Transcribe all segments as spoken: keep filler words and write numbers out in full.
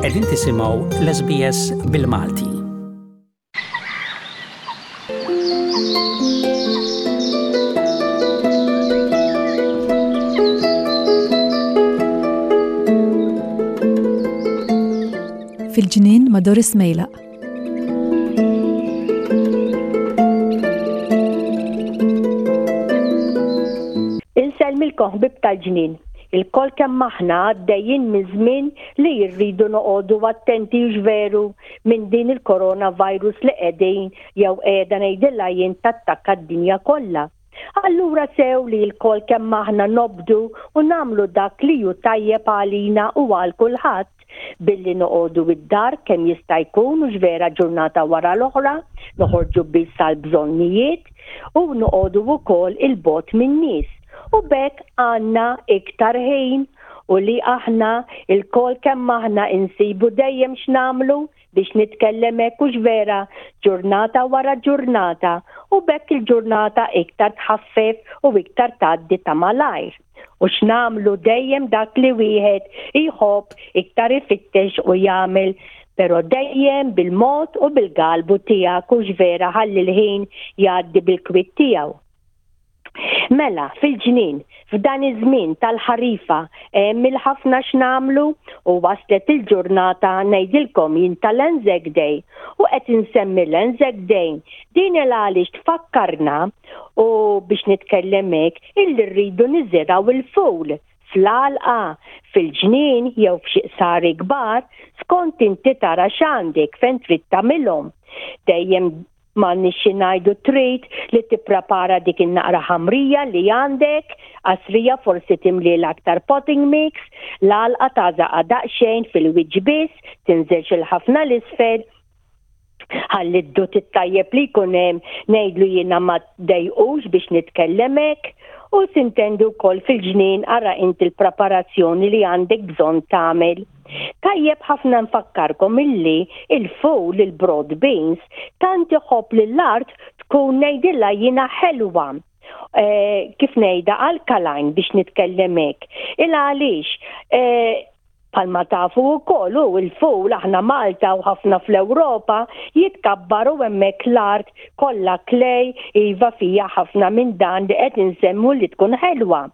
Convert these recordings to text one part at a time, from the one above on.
Qegħdin tisimgħu l-S B S bil-Malti. Fil-ġnien ma' Doris Mejlaq. Insellmilkom, ħbieb tal-ġnien. Ilkoll kemm aħna għaddejjin minn żmien li rridu noqogħdu attenti, veru, minn din il-coronavirus li qegħdin jew qiegħda ngħidilha jien tattakka d-dinja kollha. Allura sew li lkoll kemm aħna nobdu u nagħmlu dak li hu tajjeb għalina u għal kulħadd billi noqogħdu id-dar kemm jista' jkun, u vera, ġurnata wara l-oħra, noħorġu biss għal bżonnijiet u noqogħdu wkoll 'il bogħod min-nies. U b'hekk għandna iktar ħin u li aħna ilkoll kemm aħna insibu dejjem x'nagħmlu, biex nitkellem hekk, hux vera, ġurnata wara ġurnata, u b'hekk il-ġurnata iktar tħaffef u iktar tgħaddi ta' malajr. U x'nagħmlu dejjem dak li wieħed jħobb iktar ifittex u jagħmel, pero dejjem bil-mod u bil-galbu tiegħek, hux vera, ħalli l-ħin jgħaddi bil-kwiet tiegħu. Mela, fil-ġnien, f'dan iż-żmien tal-ħarifa, hemm il-ħafna x'nagħmlu u waslet il-ġurnata, ngħidilkom jien, tal-Anzac Day, u qed insemmi l-Anzac Day din il għaliex tfakkarna, u biex nitkellem hekk, illi rridu niżirgħu il-ful fl-għalqa, fil-ġnien jew f'xi qsari kbar, skont inti tara x'għandek fejn trid tagħmilhom. Dejjem ma nixxi ngħidu trid li tipprepara dik in-naqra ħamrija li għandek, qasrija, forsi timli l-aktar potting mix, l-għalqa tagħżaqha daqsxejn fil-wiċċ biss, tinżilx il-ħafna l-isfel, ħalli d-dud it-tajjeb li jkun hemm, ngħidlu jiena, ma dejqux, biex nitkellem hekk, u sintendu wkoll fil-ġnien ara inti l-preparazzjoni li għandek bżonn tagħmel. Tajjeb ħafna nfakkarkom illi il-ful, il-broad beans, tant iħobb li l-art tkun, ngħidilha jiena, ħelwa. Eh, kif ngħidha, alkaline, biex nitkellem hekk. Il għaliex eh, bħalma tafu wkoll u il-ful aħna Malta u ħafna fl-Ewropa jitkabbaru hemmhekk l-art kollha clay, iva, fija ħafna minn dan li qed insemmu li tkun ħelwa.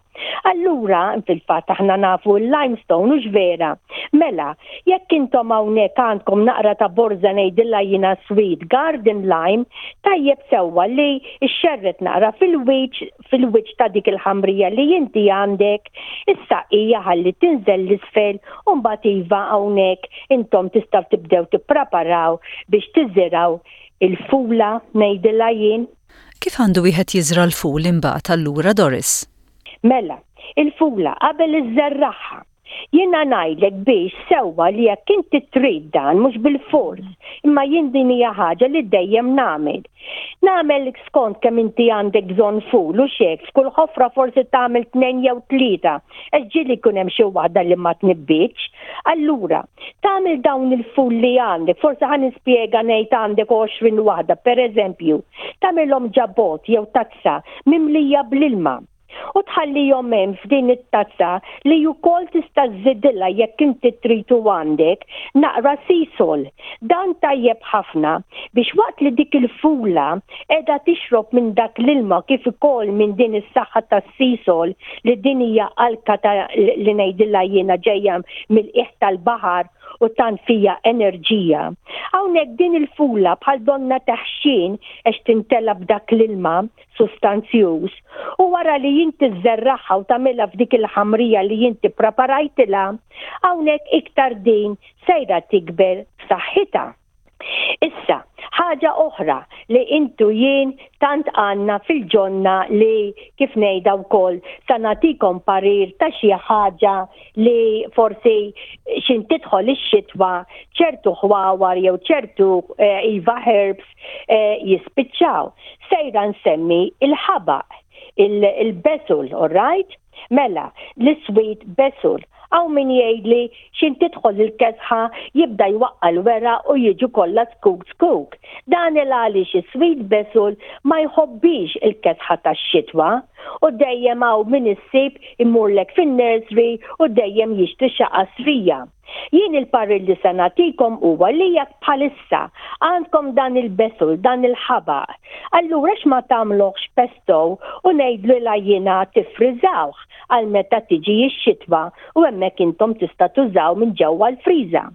Allura, fil-fatt aħna nafu l-limestone, hux vera? Mela, jekk intom hawnhekk għandkom naqra ta' borza, ngħidilha jiena, sweet garden lime, tajjeb sewwa li xxerred naqra fil-wiċ fil-wiċ ta' dik il-ħamrija li inti għandek, issa hija ħalli tinżel l-isfel u mbagħad, iva, hawnhekk intom tistgħu tibdew tippreparaw biex tiżirgħu il-fula, ngħidilha jien. Kif għandu wieħed jiżra l-ful imbagħad allura, Doris? Mela, il-fula qabel iżżerragħha, jiena ngħidlek biex sewwa li jekk inti trid dan, mhux bil-fors, imma jien din hija ħaġa li dejjem nagħmel. Nagħmel skont kemm inti għandek bżonn ful u xek, f'kull ħofra forsi tagħmel tnejn jew tlieta, għax ġieli jkun hemm xi waħda li ma tnibbitx. Allura, tagħmel dawn il-ful li għandek, forsi ħa nispjega, ngħid għandek għoxrin waħda, per eżempju, tagħmilhom ġo bott jew tazza mimlija bl-ilma u tħallihom hemm f'din it-tazza li wkoll tista' żżidilha, jekk inti trid u għandek, naqra Seasol. Dan tajjeb ħafna biex waqt li dik il-fula qiegħda tixrob minn dak l-ilma kif ukoll minn din is-saħħa tas-Seasol, li din hija alka ta' li ngħidilha jiena ġejja mill-qiegħ tal-baħar u tant fija enerġija. Hawnhekk din il-fula bħal donna taħxin għax tintela b'dak l-ilma sustanzjuż, u wara li inti żżerragħha u tagħmilha f'dik il-ħamrija li inti preparajtilha, hawnhekk iktar din sejra tikber saħħitha. Issa, ħaġa oħra li intu jien tant għandna fil-ġonna li, kif ngħidha wkoll, sa nagħtikom parir ta' xi ħaġa li forsi xin tidħol ix-xitwa ċertu ħwawar jew ċertu eh, iva, herbs eh, jispiċċaw. Sejra nsemmi il-ħabaq, il-basil, all right? Mela, l-sweet basil. Hawn min jgħidli x'ħin tidħol il-kesħa jibda jwaqqa l-weraq u jiġu kollha zkuk zkuk. Dan il għaliex is-sweet basil ma jħobbix il-kesħa tax-xitwa u dejjem hawn min issib imurlek fin-nursery u dejjem jixtri xi qasrija. Jien il-parir li se nagħtikom huwa li jekk bħalissa għandkom dan il-basil, dan il-ħabaq, allura x'ma tagħmluhx pesto u ngħidlu la jiena tifriżawh għal meta tiġi x-xitwa u hemmhekk intom tista' tużaw minn ġewwa l-friża.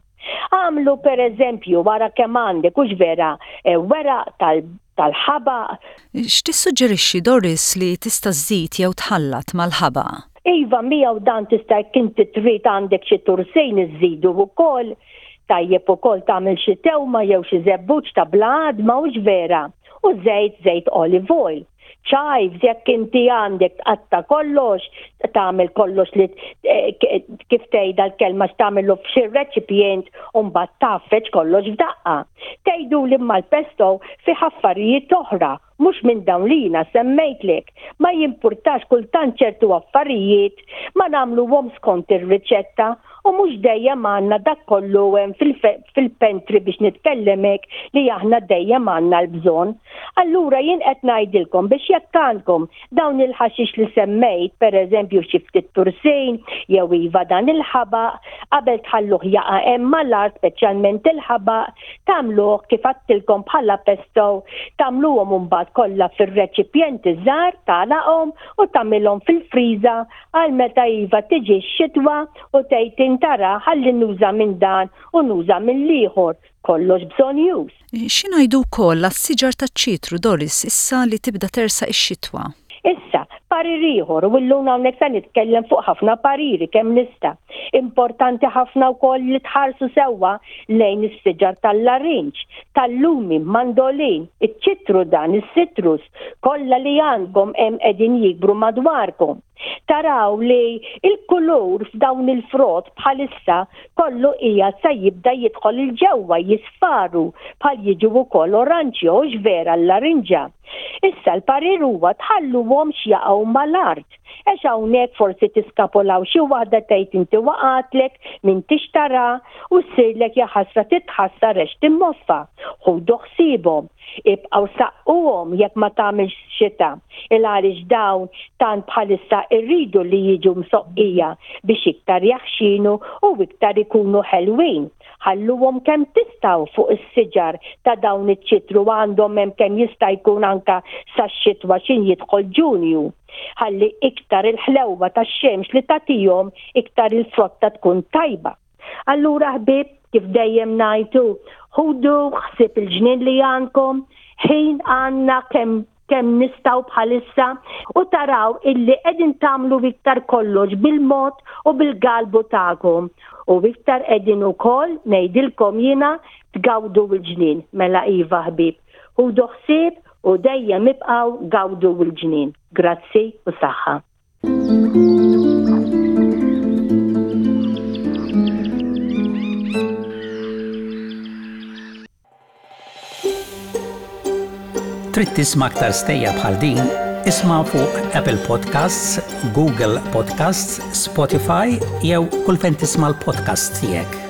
Għamlu per eżempju wara kemm għandek hux vera eh, weraq tal-ħabaq. X'tissuġġerixxi, Doris, li tista' żżid jew tħallat mal-ħabaq? Iva, miegħu dan tista' jekk inti trid għandek xi tursejn iżidu wkoll, tajjeb ukoll tagħmel xi tewma jew xi żebbuġ ta' bla għadma, hux vera. U żejt, żejt olive oil. Chives, jekk inti għandek tqatta kollox, tagħmel kollox li eh, kif tgħidha l-kelma, tagħmelu f'xi reċipjent u mbagħad tgħaffeġ kollox f'daqqa. Tgħidu li mal-pesto fi affarijiet oħra, mhux minn dawn li jiena semmejtlek. Ma jimpurtax, kultant ċertu affarijiet ma nagħmluhom skont ir-riċetta u mhux dejjem għandna dak kollu hemm fil-pantry biex nitkellemek li aħna dejjem għandna l-bżonn. Allura jien qed ngħidilkom biex jekk għandkom dawn il-ħaxix li semmejt, pereżempju xi ftit tursin jew iva dan il-ħabaq, qabel tħalluh jaqa' hemm mal-art, speċjalment il-ħabaq, tagħmluh kif għedtilkom bħala pesto, tagħmluhom imbagħad kollha fir-reċipjenti żgħar, tagħlaqhom u tagħmilhom fil-friża għal meta iva tiġi x-xitwa u tgħid intara ħalli nuża minn dan u nuża mill-ieħor, kollox bżonnjuż. X'ingħidu wkoll għas-siġar taċ-ċitru, Doris, issa li tibda tersaq ix-xitwa? Issa, parir ieħor, u llum hawnhekk se nitkellem fuq ħafna pariri kemm nista'. Importanti ħafna wkoll li tħarsu sewwa lejn is-siġar tal-larinġ, tal-lumi, mandolin, iċ-ċitru dan, is-citrus, kollha li għandkom hemm qegħdin jikbru madwarkom. Taraw li il-kulur f'dawn il-frott bħalissa kollu hija se jibda jidħol il-ġewwa, jisfaru bħal jiġu wkoll oranġjo, vera l-larinġa. Issa l-parir huwa tħalluhomx jaqgħu mal-art. Għax hawnhekk forsi tiskapolaw xi waħda, tgħid inti waqatlek minn tixtara u ssirlek jaħasra titħassar għax timmoffa. Ħudu ħsiebhom. Ibqgħu saqquhom jekk ma tagħmilx xita. Il għaliex dawn tant bħalissa irridu li jiġu msoqqija biex iktar jaħxinu u iktar ikunu ħelwin. Ħalluhom kemm tistgħu fuq is-siġar ta' dawn iċ-ċitru, għandhom hemm kemm jista' jkun anka sax-xitwa x'ħin jidħol Ġunju. Ħalli iktar il-ħlewwa tax-xemx li tagħtihom iktar il-frotta tkun tajba. Allura ħbieb, kif dejjem ngħidu, ħudu ħsieb il-ġnien li għandkom, ħin għandna kemm kemm nistgħu bħalissa u taraw illi qegħdin tagħmlu iktar kollox bil-mod u bil-galbu tagħkom. U iktar qegħdin ukoll ngħidilkom jiena tgawdu l-ġnien, mela iva ħbieb. Ħudu ħsieb u dejjem ibqgħu gawdu l-ġnien. Grazzi u saħħa. Trid tisma' aktar stejjer bħal din? Isma' fuq Apple Podcasts, Google Podcasts, Spotify jew kull fejn tisma' l-podcast tiegħek.